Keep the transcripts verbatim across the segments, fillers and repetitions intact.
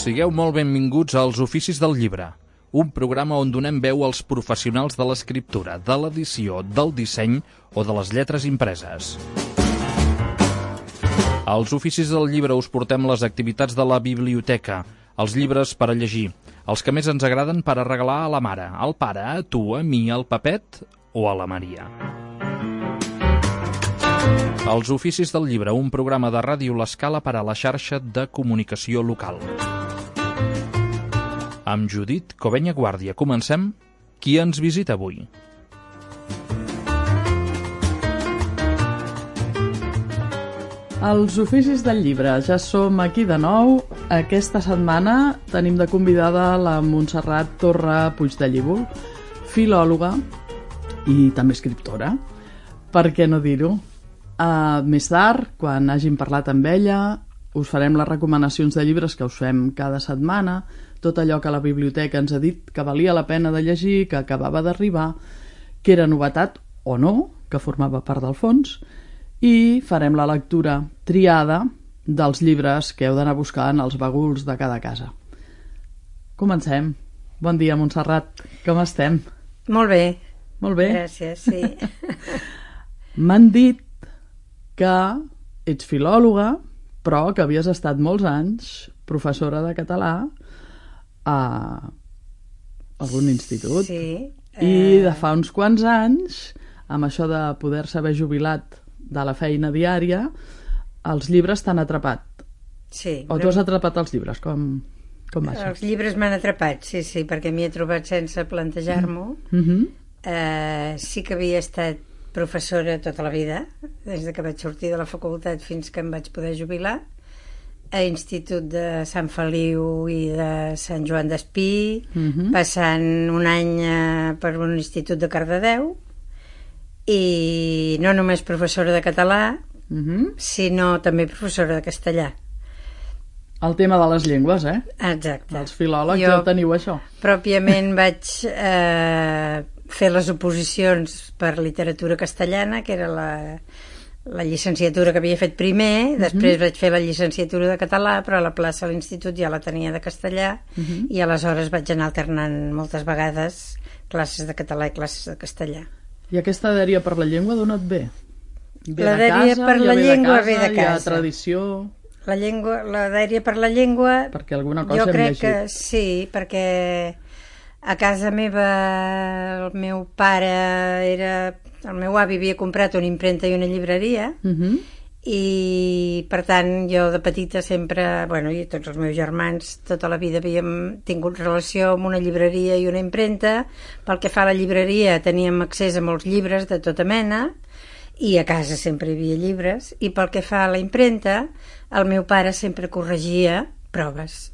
Sigueu molt benvinguts als Oficis del Llibre, un programa on donem veu als professionals de l'escriptura, de l'edició, del disseny o de les lletres impreses. Als Oficis del Llibre us portem les activitats de la biblioteca, els llibres per a llegir, els que més ens agraden per a regalar a la mare, al pare, a tu, a mi, al Pepet o a la Maria. Els Oficis del Llibre, un programa de Ràdio L'Escala per a la xarxa de comunicació local. Amb Judit Covenya Guàrdia. Comencem. Qui ens visita avui? Els Oficis del Llibre. Ja som aquí de nou. Aquesta setmana tenim de convidada la Montserrat Torra Puigdellívol, filòloga i també escriptora. Per què no dir-ho? Uh, més tard, quan hàgim parlat amb ella, us farem les recomanacions de llibres que us fem cada setmana, tot allò que la biblioteca ens ha dit que valia la pena de llegir, que acabava d'arribar, que era novetat o no, que formava part del fons, i farem la lectura triada dels llibres que heu d'anar a buscar en els baguls de cada casa. Comencem. Bon dia, Montserrat. Com estem? Molt bé. Molt bé? Gràcies, sí. M'han dit que ets filòloga, però que havies estat molts anys professora de català a algun institut. Sí. I de fa uns quants anys, amb això de poder-se haver jubilat de la feina diària, els llibres t'han atrapat. Sí. O tu has atrapat els llibres? Com, com va això? Els llibres m'han atrapat, sí, sí, perquè m'hi he trobat sense plantejar-m'ho. Mm-hmm. eh, sí que havia estat professora tota la vida, des que vaig sortir de la facultat fins que em vaig poder jubilar, a Institut de Sant Feliu i de Sant Joan d'Espí, mm-hmm. passant un any eh, per un institut de Cardedeu, i no només professora de català, Mm-hmm. sinó també professora de castellà. El tema de les llengües, eh? Exacte. Els filòlegs Jo ja teniu això. pròpiament vaig eh, fer les oposicions per literatura castellana, que era la, la llicenciatura que havia fet primer, després Mhm. vaig fer la llicenciatura de català, però a la plaça a l'institut ja la tenia de castellà, Mhm. i aleshores vaig anar alternant moltes vegades classes de català i classes de castellà. I aquesta dèria per la llengua d'on et ve? Ve La de dèria casa, per ja la ve de llengua casa, ve de hi ha casa. tradició... La llengua, la dèria per la llengua, Perquè alguna cosa jo hem crec llegit. que sí, perquè a casa meva el meu pare era... El meu avi havia comprat una impremta i una llibreria, Mhm. i per tant jo de petita sempre, bueno, i tots els meus germans tota la vida havíem tingut relació amb una llibreria i una impremta. Pel que fa a la llibreria teníem accés a molts llibres de tota mena, i a casa sempre hi havia llibres, i pel que fa a la impremta el meu pare sempre corregia proves,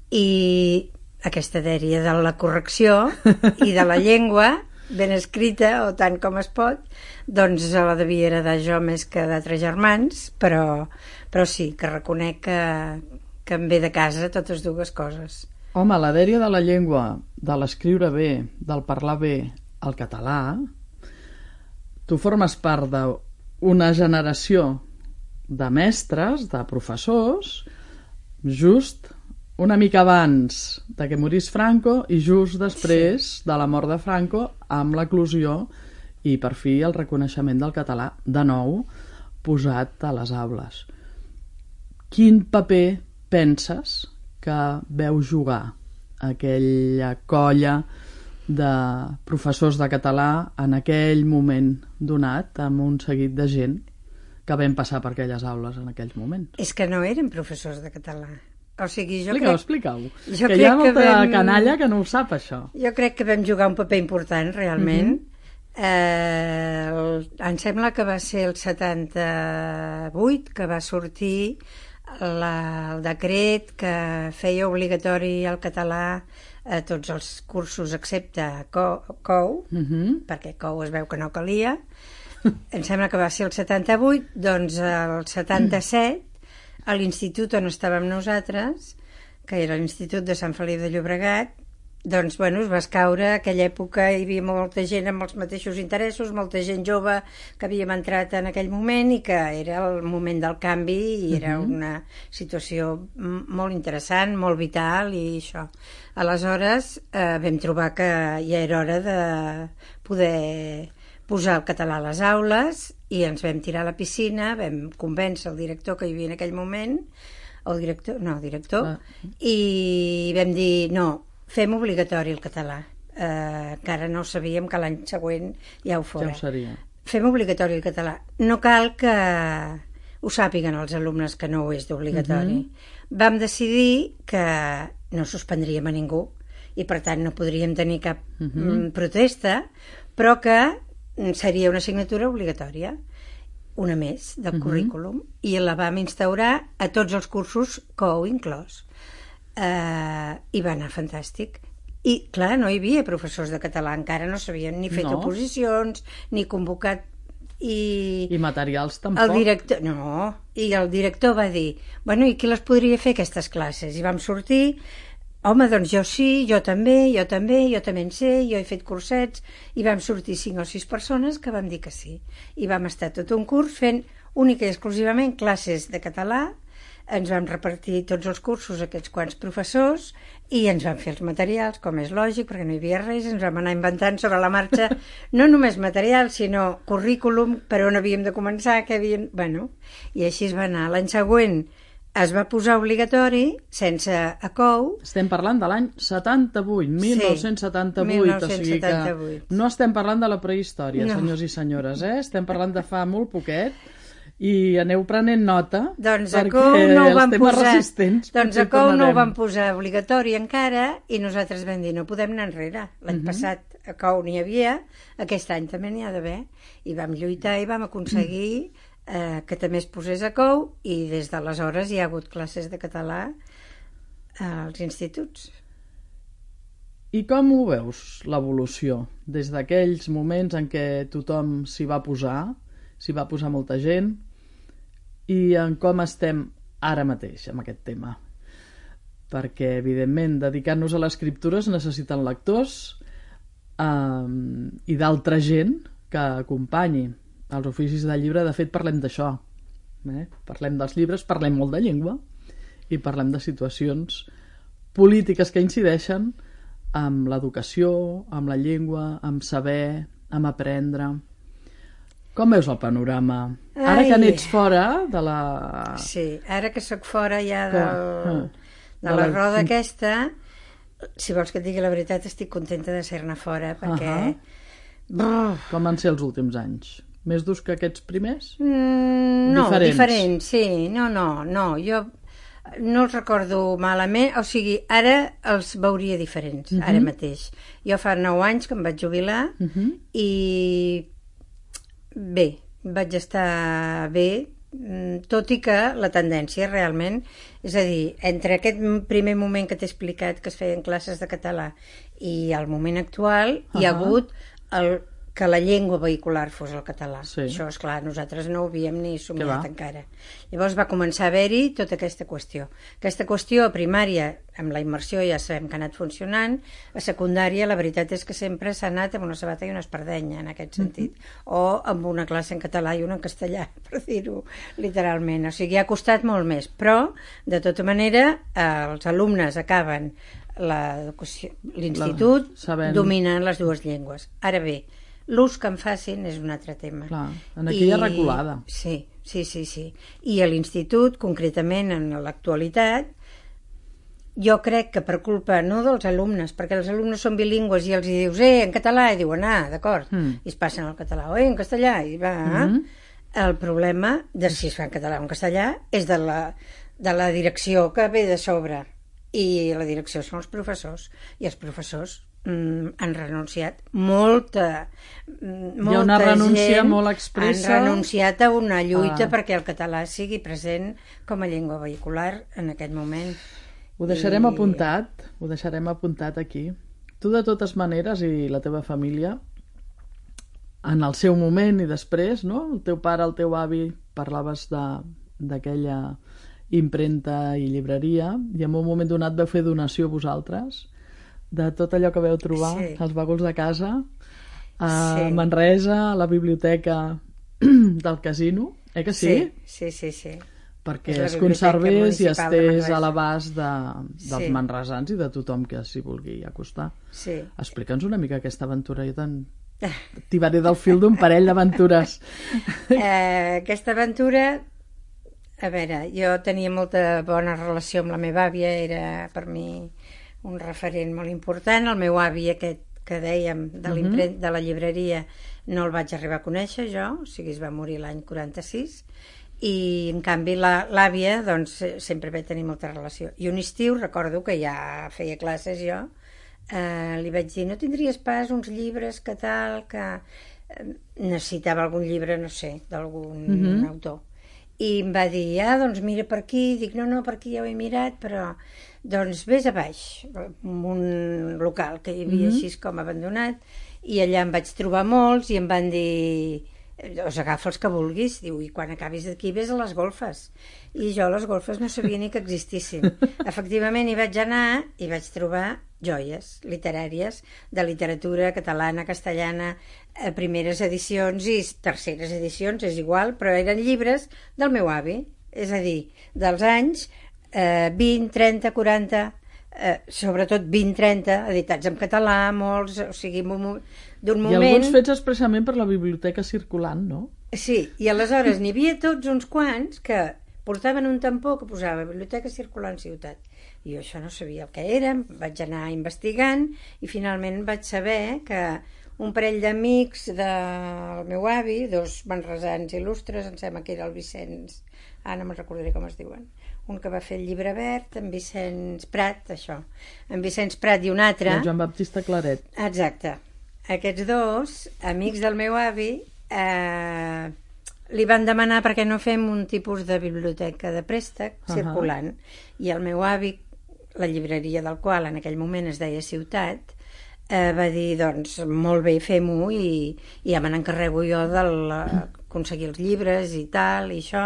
i aquesta dèria de la correcció i de la llengua ben escrita, o tant com es pot, doncs la devia heredar jo més que d'altres germans, però, però sí, que reconec que, que em ve de casa totes dues coses. Home, la dèria de la llengua, de l'escriure bé, del parlar bé, el català, tu formes part d'una generació de mestres, de professors, just una mica abans de que morís Franco i just després sí. de la mort de Franco, amb l'eclosió i per fi el reconeixement del català de nou posat a les aules. Quin paper penses que veu jugar aquella colla de professors de català en aquell moment donat, amb un seguit de gent que vam passar per aquelles aules en aquells moments? És que no eren professors de català. O sigui, jo Explica-ho, crec... explica-ho. Jo Que hi ha crec que molta vam- canalla que no ho sap, això. Jo crec que vam jugar un paper important, realment. eh, el, em sembla que va ser el setanta-vuit que va sortir la, el decret que feia obligatori el català a tots els cursos excepte Co- COU, Mhm. perquè COU es veu que no calia. Em sembla que va ser el setanta-vuit, doncs el setanta-set, a l'institut on estàvem nosaltres, que era l'Institut de Sant Feliu de Llobregat, doncs, bueno, es va escaure. En aquella època hi havia molta gent amb els mateixos interessos, molta gent jove que havíem entrat en aquell moment i que era el moment del canvi i era uh-huh. una situació molt interessant, molt vital i això. Aleshores eh, vam trobar que ja era hora de poder posar el català a les aules i ens vam tirar a la piscina, vam convèncer el director que hi havia en aquell moment, el director, no, el director, ah. i vam dir, no, fem obligatori el català. Eh, encara no sabíem que l'any següent ja ho fora. Ja ho seria. Fem obligatori el català. No cal que ho sàpiguen els alumnes que no ho és d'obligatori. Uh-huh. Vam decidir que no suspendríem a ningú i per tant no podríem tenir cap uh-huh. protesta, però que seria una assignatura obligatòria, una més del uh-huh. currículum, i la vam instaurar a tots els cursos C O U inclòs. Uh, I va anar fantàstic. I, clar, no hi havia professors de català, encara no s'havien ni fet no. oposicions, ni convocat... I, I materials tampoc. El director, no, i el director va dir, bueno, i qui les podria fer aquestes classes? I vam sortir, home, doncs jo sí, jo també, jo també, jo també en sé, jo he fet cursets, i vam sortir cinc o sis persones que vam dir que sí. I vam estar tot un curs fent única i exclusivament classes de català, ens vam repartir tots els cursos a aquests quants professors i ens vam fer els materials, com és lògic, perquè no hi havia res, ens vam anar inventant sobre la marxa, no només material, sinó currículum, per on havíem de començar, que havíem... Bueno, i així es va anar. L'any següent es va posar obligatori, sense a C O U. Estem parlant de l'any setanta-vuit, mil nou-cents setanta-vuit, sí, mil nou-cents setanta-vuit. O sigui que no estem parlant de la prehistòria, no. senyors i senyores, eh? Estem parlant de fa molt poquet. I aneu prenent nota doncs perquè no els van temes posar, resistents doncs a C O U no ho van posar obligatori encara i nosaltres vam dir no podem anar enrere. L'any uh-huh. passat a C O U n'hi havia, aquest any també n'hi ha d'haver, i vam lluitar i vam aconseguir eh, que també es posés a C O U i des d'aleshores hi ha hagut classes de català als instituts. I com ho veus, l'evolució? Des d'aquells moments en què tothom s'hi va posar, s'hi va posar molta gent, i en com estem ara mateix amb aquest tema. Perquè, evidentment, dedicant-nos a l'escriptura es necessiten lectors eh, i d'altra gent que acompanyi els oficis de llibre. De fet, parlem d'això. Eh? Parlem dels llibres, parlem molt de llengua i parlem de situacions polítiques que incideixen amb l'educació, amb la llengua, amb saber, amb aprendre... Com veus el panorama? Ai. Ara que n'ets fora de la... Sí, ara que sóc fora ja del, que... de, de la, la roda aquesta, si vols que et digui la veritat, estic contenta de ser-ne fora, perquè... Uh-huh. Com van ser els últims anys? Més durs que aquests primers? Mm, no, diferents. diferents, sí. No, no, no. Jo no els recordo malament, o sigui, ara els veuria diferents, uh-huh. ara mateix. Jo fa nou anys que em vaig jubilar uh-huh. i... Bé, vaig estar bé, tot i que la tendència realment, és a dir, entre aquest primer moment que t'he explicat que es feien classes de català i el moment actual uh-huh. hi ha hagut el, que la llengua vehicular fos el català. Sí. Això, esclar, nosaltres no ho havíem ni somiat encara. Llavors va començar a haver-hi tota aquesta qüestió. Aquesta qüestió a primària, amb la immersió ja sabem que ha anat funcionant, a secundària la veritat és que sempre s'ha anat amb una sabata i una espardenya, en aquest sentit, mm-hmm. o amb una classe en català i una en castellà, per dir-ho literalment. O sigui, ha costat molt més, però, de tota manera, els alumnes acaben l'institut sabent... dominant les dues llengües. Ara bé, l'ús que en facin és un altre tema. Clar, en aquella I... reculada. Sí, sí, sí, sí. I a l'institut, concretament en l'actualitat, jo crec que per culpa no dels alumnes, perquè els alumnes són bilingües i els hi dius, eh, en català, i diuen, ah, d'acord, mm. i es passen al català, o eh, en castellà, i va... Mm-hmm. El problema de si es fa en català o en castellà és de la, de la direcció que ve de sobre, i la direcció són els professors, i els professors mm, han renunciat molta, molta hi ha una renúncia molt expressa, han renunciat a una lluita ah. perquè el català sigui present com a llengua vehicular en aquest moment. Ho deixarem I... apuntat, ho deixarem apuntat aquí. Tu, de totes maneres, i la teva família, en el seu moment i després, no? El teu pare, el teu avi, parlaves d'aquella impremta i llibreria, i en un moment donat vau fer donació vosaltres de tot allò que veu trobar, Sí. als bagulls de casa, a Sí. Manresa, a la biblioteca del casino, eh que sí? Sí, sí, sí, sí. Perquè És la es Biblioteca conservés i Municipal de estés Manresa. a l'abast de, dels Sí. manresans i de tothom que s'hi vulgui acostar. Sí. Explica'ns una mica aquesta aventura. Jo te'n tibaré del fil d'un parell d'aventures. Eh, aquesta aventura, a veure, jo tenia molta bona relació amb la meva àvia, era per mi un referent molt important. El meu avi aquest que dèiem de, l'imprent, de la llibreria no el vaig arribar a conèixer jo, o sigui, es va morir l'any quaranta-sis, i en canvi la- l'àvia doncs sempre vaig tenir molta relació. I un estiu recordo que ja feia classes jo, eh, li vaig dir, no tindries pas uns llibres que tal, que eh, necessitava algun llibre, no sé, d'algun Mhm. autor. I em va dir, ah, doncs mira per aquí. Dic, no, no, per aquí ja ho he mirat, però doncs vés a baix, en un local que hi havia Mhm. així com abandonat, i allà em vaig trobar molts i em van dir, us agafa els que vulguis, diu, i quan acabis d'aquí vés a les golfes. I jo a les golfes no sabia ni que existissin. Efectivament hi vaig anar i vaig trobar joies literàries de literatura catalana, castellana, eh, primeres edicions i terceres edicions, és igual, però eren llibres del meu avi, és a dir, dels anys eh, vint, trenta, quaranta, eh, sobretot vint, trenta, editats en català, molts, o sigui, d'un mo- d'un I moment... alguns fets expressament per la biblioteca circulant, no? Sí, i aleshores n'hi havia tots uns quants que portaven un tampó que posava Biblioteca Circulant Ciutat. I jo això no sabia el que era, vaig anar investigant i finalment vaig saber que un parell d'amics del meu avi, dos manresans il·lustres, em sembla que era el Vicenç, ah, no me'n recordaré com es diuen, un que va fer el Llibre Verd, en Vicenç Prat, això, en Vicenç Prat i un altre... El Joan Baptista Claret. Exacte. Aquests dos, amics del meu avi, eh, li van demanar perquè no fem un tipus de biblioteca de préstec Uh-huh. circulant. I el meu avi, la llibreria del qual en aquell moment es deia Ciutat, eh, va dir, doncs, molt bé, fem-ho, i, i ja me n'encarrego jo d'aconseguir els llibres i tal, i això,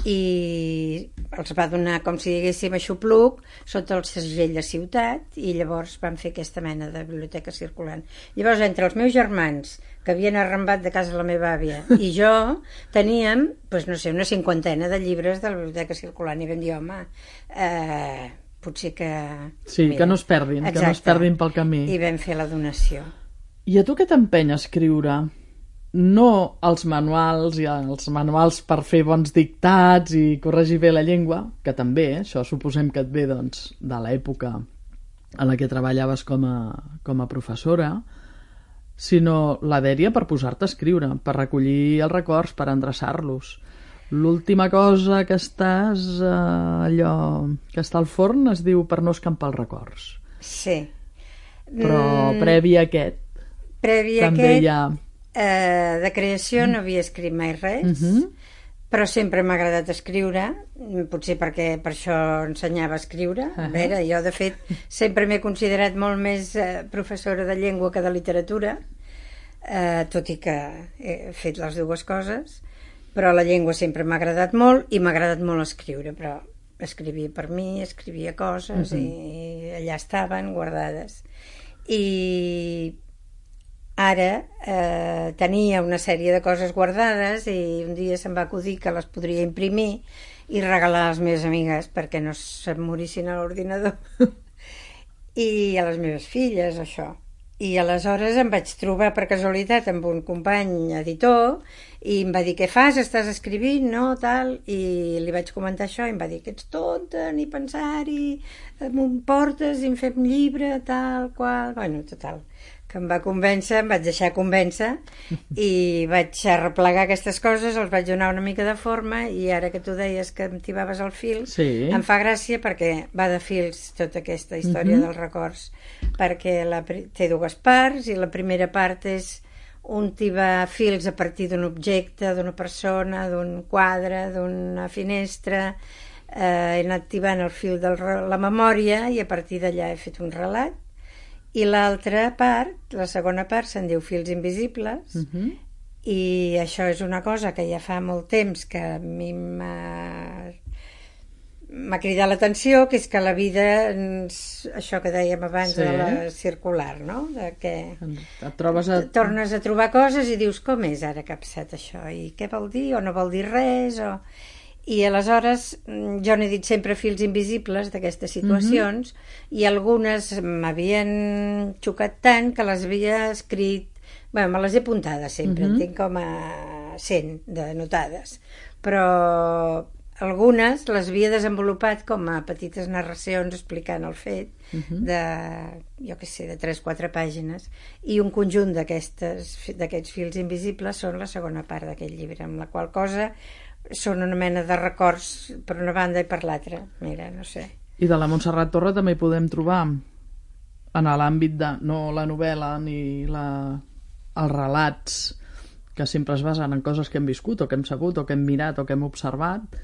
i els va donar com si diguéssim aixopluc sota el segell de Ciutat, i llavors van fer aquesta mena de biblioteca circulant. Llavors, entre els meus germans que havien arrambat de casa la meva àvia i jo, teníem, doncs no sé, una cinquantena de llibres de la biblioteca circulant, i vam dir, home, eh, potser que... Sí, que no es perdin, que no es perdin pel camí. I vam fer la donació. I a tu què t'empeny a escriure? No els manuals i els manuals per fer bons dictats i corregir bé la llengua, que també, això suposem que et ve doncs, de l'època en la que treballaves com a, com a professora, sinó la dèria per posar-te a escriure, per recollir els records, per endreçar-los. L'última cosa que estàs, eh, allò que està al forn, es diu Per no escampar els records. Sí. Però Mm, previ a aquest, previ a també aquest, hi ha... eh, de creació no havia escrit mai res, Mhm. però sempre m'ha agradat escriure, potser perquè per això ensenyava a escriure. A Uh-huh. veure, jo de fet sempre m'he considerat molt més eh, professora de llengua que de literatura, eh, tot i que he fet les dues coses, però la llengua sempre m'ha agradat molt i m'ha agradat molt escriure, però escrivia per mi, escrivia coses Uh-huh. i allà estaven guardades. I ara eh, tenia una sèrie de coses guardades i un dia se'm va acudir que les podria imprimir i regalar a les meves amigues perquè no se'm morissin a l'ordinador i a les meves filles, això. I aleshores em vaig trobar per casualitat amb un company editor i em va dir, què fas, estàs escrivint, no, tal, i li vaig comentar això i em va dir que ets tonta, ni pensar-hi, m'ho portes i em fem llibre, tal, qual, bueno, total, que em va convèncer, em vaig deixar convèncer i vaig arreplegar aquestes coses, els vaig donar una mica de forma i ara que tu deies que em tibaves el fil, Sí. em fa gràcia perquè va de fils tota aquesta història Mhm. dels records, perquè la, pri- té dues parts i la primera part és un tibar fils a partir d'un objecte, d'una persona, d'un quadre, d'una finestra, eh, he anat tibant el fil de la memòria i a partir d'allà he fet un relat. I l'altra part, la segona part, se'n diu Fils invisibles, Mhm. i això és una cosa que ja fa molt temps que a mi m'ha m'ha cridat l'atenció, que és que la vida, això que dèiem abans, sí, de la circular, no? De que et trobes a... tornes a trobar coses i dius, com és ara que ha passat això? I què vol dir? O no vol dir res? O... I aleshores jo n'he dit sempre fils invisibles d'aquestes situacions, mm-hmm. i algunes m'havien xocat tant que les havia escrit, bé, me les he apuntades sempre, mm-hmm. en tinc com a cent de notades, però algunes les havia desenvolupat com a petites narracions explicant el fet, uh-huh. de, jo què sé, de tres o quatre pàgines, i un conjunt d'aquests fils invisibles són la segona part d'aquest llibre, amb la qual cosa són una mena de records per una banda i per l'altra, mira, no sé. I de la Montserrat Torre també hi podem trobar en l'àmbit de, no la novel·la ni la, els relats que sempre es basen en coses que hem viscut o que hem sabut o que hem mirat o que hem observat,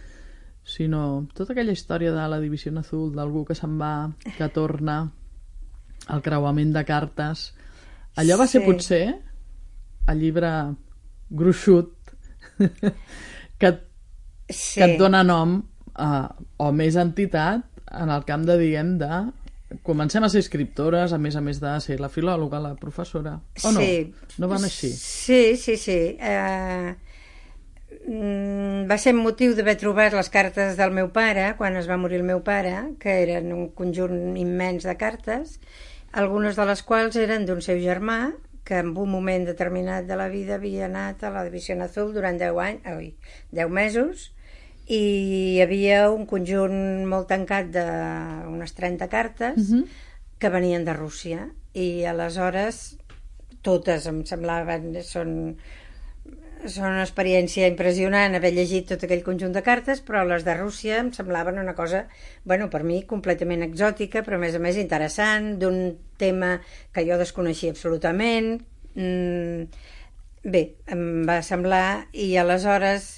sinó tota aquella història de la Divisió Azul, d'algú que se'n va, que torna, el creuament de cartes. Allò va ser sí. potser el llibre gruixut que, sí. que et dona nom a, o més entitat en el camp de, diguem, de comencem a ser escriptores, a més a més de ser la filòloga, la professora, o no? Sí. No van així? Sí, sí, sí. Eh... va ser motiu d'haver trobat les cartes del meu pare quan es va morir el meu pare, que eren un conjunt immens de cartes, algunes de les quals eren d'un seu germà que en un moment determinat de la vida havia anat a la Divisió Azul durant deu anys, oi, deu mesos, i hi havia un conjunt molt tancat d'unes trenta cartes uh-huh. que venien de Rússia, i aleshores totes em semblaven són són una experiència impressionant haver llegit tot aquell conjunt de cartes, però les de Rússia em semblaven una cosa, bueno, per mi completament exòtica, però a més a més interessant, d'un tema que jo desconeixia absolutament. Mm, bé, em va semblar, i aleshores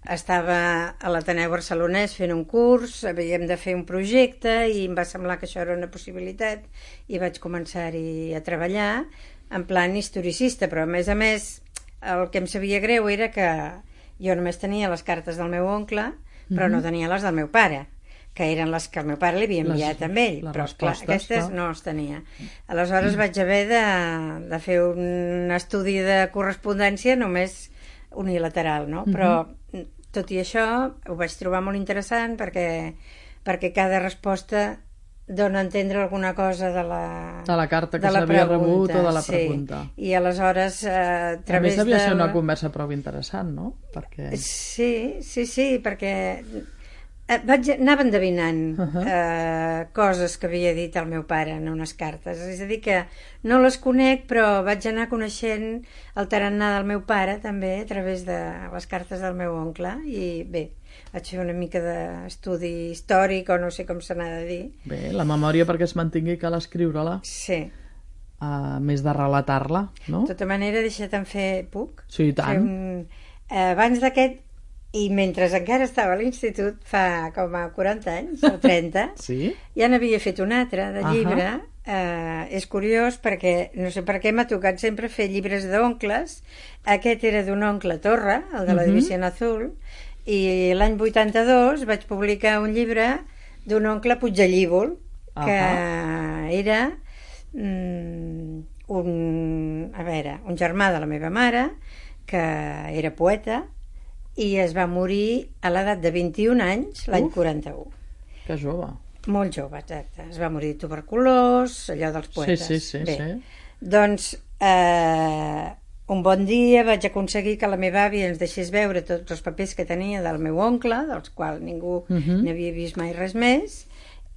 estava a l'Ateneu Barcelonès fent un curs, havíem de fer un projecte i em va semblar que això era una possibilitat i vaig començar-hi a treballar en plan historicista, però a més a més el que em sabia greu era que jo només tenia les cartes del meu oncle, però mm-hmm. no tenia les del meu pare, que eren les que el meu pare li havia enviat les, a ell, però clar, aquestes no. no les tenia. Aleshores mm. vaig haver de, de fer un estudi de correspondència només unilateral, no? Mm-hmm. Però tot i això ho vaig trobar molt interessant perquè, perquè cada resposta dona a entendre alguna cosa de la, de la carta que s'havia rebut o de la pregunta. Sí. I aleshores eh, a través a més devia de... ser una conversa prou interessant, no? Perquè... Sí, sí, sí, perquè vaig anava endevinant uh-huh. eh, coses que havia dit el meu pare en unes cartes, és a dir que no les conec, però vaig anar coneixent el tarannà del meu pare també a través de les cartes del meu oncle, i bé, vaig fer una mica d'estudi històric o no sé com se n'ha de dir. Bé, la memòria perquè es mantingui cal escriure-la. Sí. A més de relatar-la, no? De tota manera, deixa't-en fer, puc? Sí, i tant. Un... Eh, abans d'aquest, i mentre encara estava a l'institut, fa com a quaranta anys, o trenta, sí? ja n'havia fet un altre de llibre. Uh-huh. Eh, és curiós perquè, no sé per què m'ha tocat sempre fer llibres d'oncles. Aquest era d'un oncle Torra, el de la uh-huh. Divisió Azul, i l'any vuitanta-dos vaig publicar un llibre d'un oncle Puigdellíbol, uh-huh. que era mm, un, a veure, un germà de la meva mare, que era poeta, i es va morir a l'edat de vint-i-un anys l'any quaranta-u. Que jove. Molt jove, exacte. Es va morir de tuberculós, allò dels poetes. Sí, sí, sí. Bé, sí. Doncs eh, un bon dia vaig aconseguir que la meva àvia ens deixés veure tots els papers que tenia del meu oncle, dels quals ningú uh-huh. n'havia vist mai res més,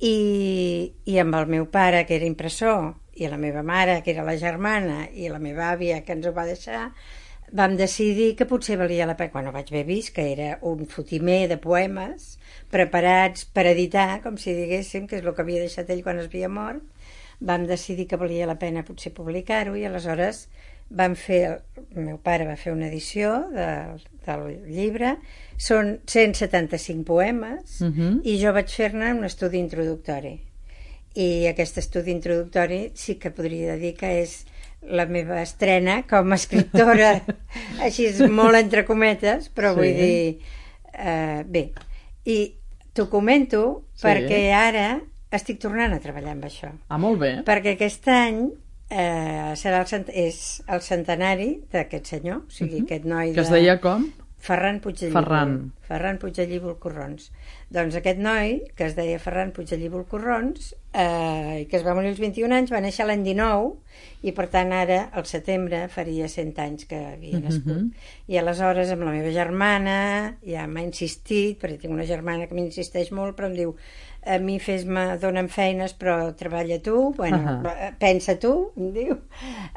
i, i amb el meu pare, que era impressor, i la meva mare, que era la germana, i la meva àvia, que ens ho va deixar, vam decidir que potser valia la pena, quan ho vaig haver vist, que era un fotimer de poemes preparats per editar, com si diguéssim, que és el que havia deixat ell quan es havia mort. Vam decidir que valia la pena potser publicar-ho, i aleshores vam fer, el meu pare va fer una edició de, del llibre, són cent setanta-cinc poemes, uh-huh. i jo vaig fer-ne un estudi introductori. I aquest estudi introductori sí que podria dir que és la meva estrena com a escriptora, així molt entre cometes, però sí. vull dir, eh, bé, i t'ho comento Sí. perquè ara estic tornant a treballar amb això. Ah, molt bé. Perquè aquest any eh, serà el cent... és el centenari d'aquest senyor, o sigui, Mhm. aquest noi Que es de... deia com? Ferran Puigdellíbol. Ferran. Ferran Puigdellíbol Corrons. Doncs aquest noi, que es deia Ferran Puigdellíbol Corrons, eh, i que es va morir als vint-i-un anys, va néixer l'any dinou, i per tant ara, al setembre, faria cent anys que havia nascut. Mhm. I aleshores, amb la meva germana, ja m'ha insistit, perquè tinc una germana que m'insisteix molt, però em diu, a mi fes-me, dona'm feines, però treballa tu, bueno, Ahà. pensa tu, em diu,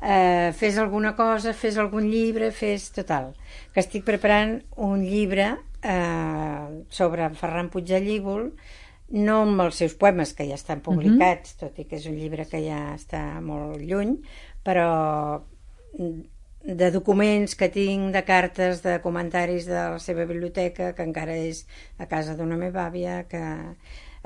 eh, fes alguna cosa, fes algun llibre, fes total. Que estic preparant un llibre eh, sobre Ferran Puigdellíbol, no amb els seus poemes, que ja estan publicats, uh-huh. tot i que és un llibre que ja està molt lluny, però de documents que tinc, de cartes, de comentaris de la seva biblioteca, que encara és a casa d'una meva àvia, que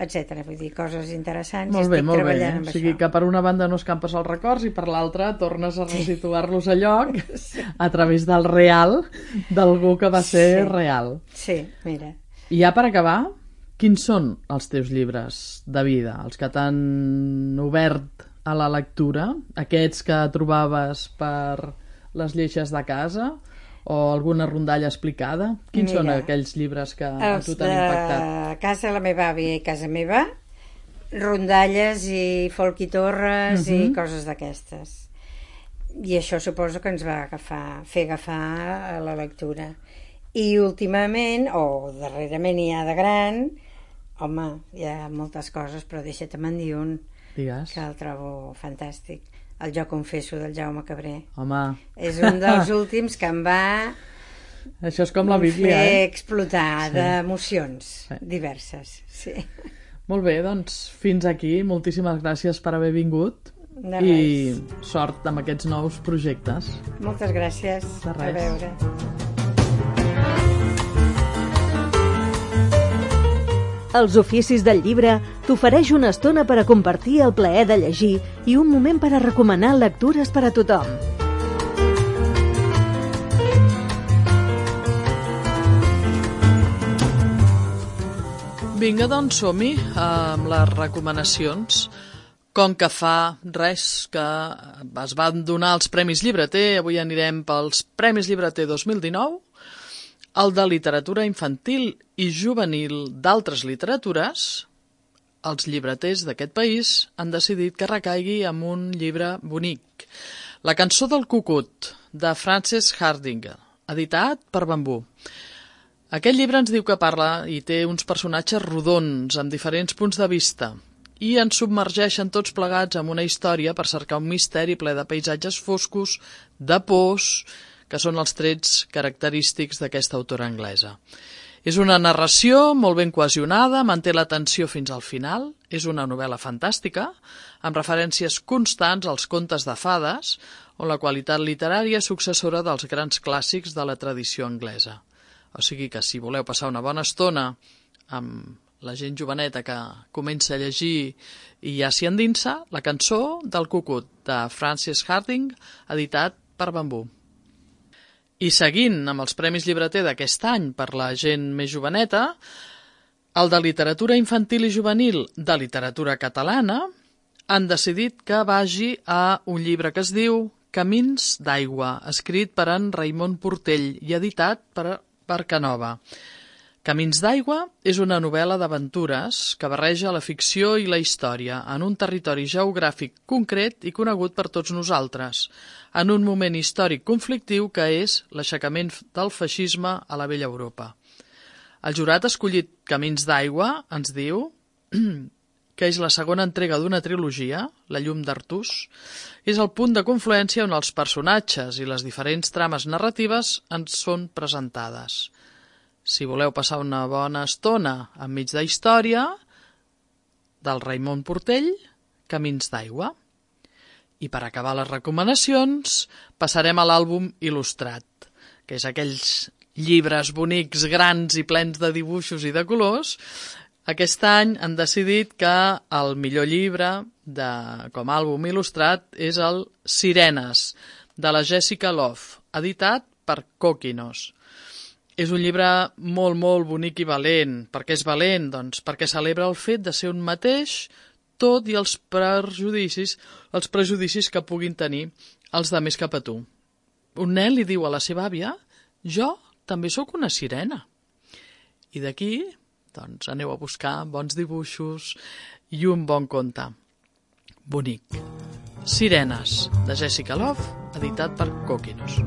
etcètera. Vull dir, coses interessants. Molt bé, estic molt bé. treballant amb O sigui això. que per una banda no escampes els records i per l'altra tornes a resituar-los a lloc a través del real d'algú que va ser Sí. real. Sí, mira. I ja per acabar, quins són els teus llibres de vida? Els que t'han obert a la lectura? Aquests que trobaves per les lleixes de casa? O alguna rondalla explicada? Quins Mira, són aquells llibres que a Els tu t'han impactat? de casa de la meva àvia i casa meva, rondalles i folk i torres Mhm. i coses d'aquestes. I això suposo que ens va agafar, fer agafar a la lectura. I últimament, o darrerament ja de gran, home, hi ha moltes coses, però deixa-te'n dir un Digues. que el trobo fantàstic. El Jo confesso, del Jaume Cabré. Home, És un dels últims que em va això és com la Bíblia, fer eh? explotar Sí. d'emocions Sí. diverses. Sí. Molt bé, doncs fins aquí. Moltíssimes gràcies per haver vingut De i res. sort amb aquests nous projectes. Moltes gràcies. De A res. veure. Els Oficis del Llibre t'ofereix una estona per a compartir el plaer de llegir i un moment per a recomanar lectures per a tothom. Vinga, doncs som-hi amb les recomanacions. Com que fa res que es van donar els Premis Llibreter, avui anirem pels Premis Llibreter dos mil dinou, el de literatura infantil i juvenil d'altres literatures. Els llibreters d'aquest país han decidit que recaigui amb un llibre bonic. La cançó del cucut, de Frances Hardinge, editat per Bambú. Aquest llibre ens diu que parla i té uns personatges rodons, amb diferents punts de vista, i ens submergeixen tots plegats en una història per cercar un misteri ple de paisatges foscos, de pors, que són els trets característics d'aquesta autora anglesa. És una narració molt ben cohesionada, manté l'atenció fins al final, és una novel·la fantàstica, amb referències constants als contes de fades, on la qualitat literària és successora dels grans clàssics de la tradició anglesa. O sigui que si voleu passar una bona estona amb la gent joveneta que comença a llegir i ja s'hi endinsa, la cançó del cucut de Frances Hardinge, editat per Bambú. I seguint amb els Premis Llibreter d'aquest any per la gent més joveneta, el de literatura infantil i juvenil de literatura catalana han decidit que vagi a un llibre que es diu Camins d'aigua, escrit per en Raimon Portell i editat per Barcanova. Camins d'aigua és una novel·la d'aventures que barreja la ficció i la història en un territori geogràfic concret i conegut per tots nosaltres, en un moment històric conflictiu que és l'aixecament del feixisme a la vella Europa. El jurat ha escollit Camins d'aigua, ens diu, que és la segona entrega d'una trilogia, La llum d'Artús, és el punt de confluència on els personatges i les diferents trames narratives ens són presentades. Si voleu passar una bona estona enmig de història, del Raimon Portell, Camins d'aigua. I per acabar les recomanacions, passarem a l'àlbum il·lustrat, que és aquells llibres bonics, grans i plens de dibuixos i de colors. Aquest any han decidit que el millor llibre de, com a àlbum il·lustrat és el Sirenes, de la Jessica Love, editat per Coquinos. És un llibre molt, molt bonic i valent. Per què és valent? Doncs perquè celebra el fet de ser un mateix, tot i els prejudicis, els prejudicis que puguin tenir els demés cap a tu. Un nen li diu a la seva àvia: jo també sóc una sirena. I d'aquí, doncs, aneu a buscar bons dibuixos i un bon conte. Bonic. Sirenes, de Jessica Love, editat per Coquinos.